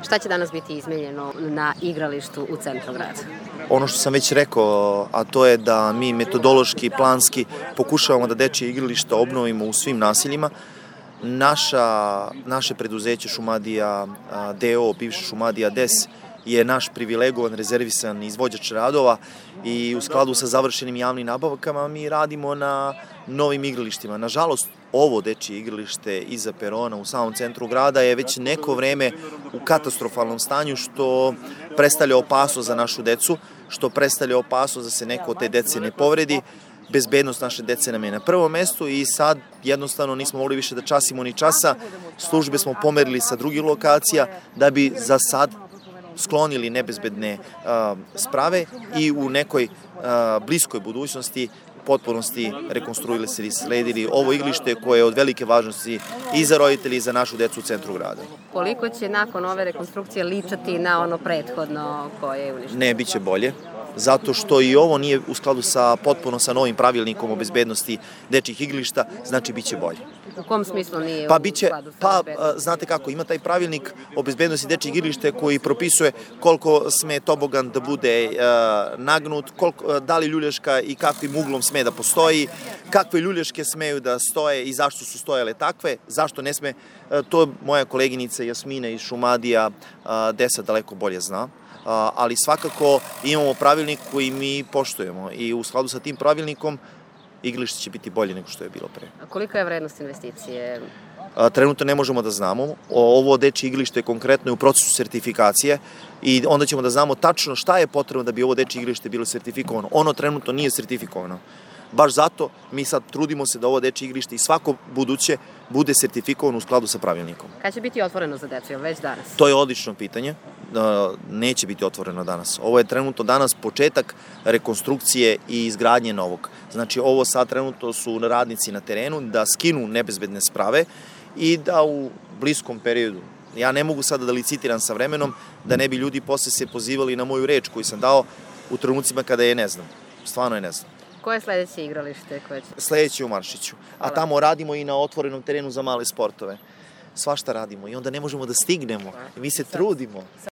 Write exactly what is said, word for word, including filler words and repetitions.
Šta će danas biti izmenjeno na igralištu u centru grada? Ono što sam već rekao, a to je da mi metodološki i planski pokušavamo da dečje igrališta obnovimo u svim naseljima. Naša, naše preduzeće Šumadija D O, bivša Šumadija D E S, je naš privilegovan, rezervisan izvođač radova i u skladu sa završenim javnim nabavkama mi radimo na novim igralištima. Nažalost, ovo dečje igralište iza perona u samom centru grada je već neko vreme u katastrofalnom stanju, što predstavlja opasnost za našu decu, što predstavlja opasnost da se neko od te dece ne povredi. Bezbednost naše dece nam je na prvom mestu i sad jednostavno nismo mogli više da časimo ni časa. Službe smo pomerili sa drugih lokacija da bi za sad sklonili nebezbedne uh, sprave i u nekoj uh, bliskoj budućnosti potpunosti rekonstruili se i sledili ovo igralište koje je od velike važnosti i za roditelji i za našu decu u centru grada. Koliko će nakon ove rekonstrukcije ličati na ono prethodno koje je uništeno? Ne, bit će bolje. Zato što i ovo nije u skladu sa potpuno sa novim pravilnikom o bezbednosti dečjih igrališta, znači bit će bolje. U kom smislu nije pa u biće, skladu sa pa, bezbednosti? Znate kako, ima taj pravilnik o bezbednosti dečjih igrališta koji propisuje koliko sme tobogan da bude uh, nagnut, koliko, da li ljulješka i kakvim uglom sme da postoji, kakve ljulješke smeju da stoje i zašto su stojale takve, zašto ne sme. Uh, to moja koleginica Jasmina iz Šumadija uh, D E S-a daleko bolje zna. Ali svakako imamo pravilnik koji mi poštujemo i u skladu sa tim pravilnikom igralište će biti bolje nego što je bilo pre. A kolika je vrednost investicije? Trenutno ne možemo da znamo. Ovo dečje igralište je konkretno u procesu sertifikacije i onda ćemo da znamo tačno šta je potrebno da bi ovo dečje igralište bilo sertifikovano. Ono trenutno nije sertifikovano. Baš zato mi sad trudimo se da ovo dečje igralište i svako buduće bude sertifikovano u skladu sa pravilnikom. Kad će biti otvoreno za decu, ili već danas? To je odlično pitanje. Neće biti otvoreno danas. Ovo je trenutno danas početak rekonstrukcije i izgradnje novog. Znači ovo sad trenutno su radnici na terenu da skinu nebezbedne sprave i da u bliskom periodu, ja ne mogu sada da licitiram sa vremenom, da ne bi ljudi posle se pozivali na moju reč koju sam dao u trenucima kada je ne znam. Stvarno je ne znam. Koje je sledeće igralište? Koje će... Sledeće u Maršiću. A tamo radimo i na otvorenom terenu za male sportove. Svašta radimo i onda ne možemo da stignemo. Mi se trudimo.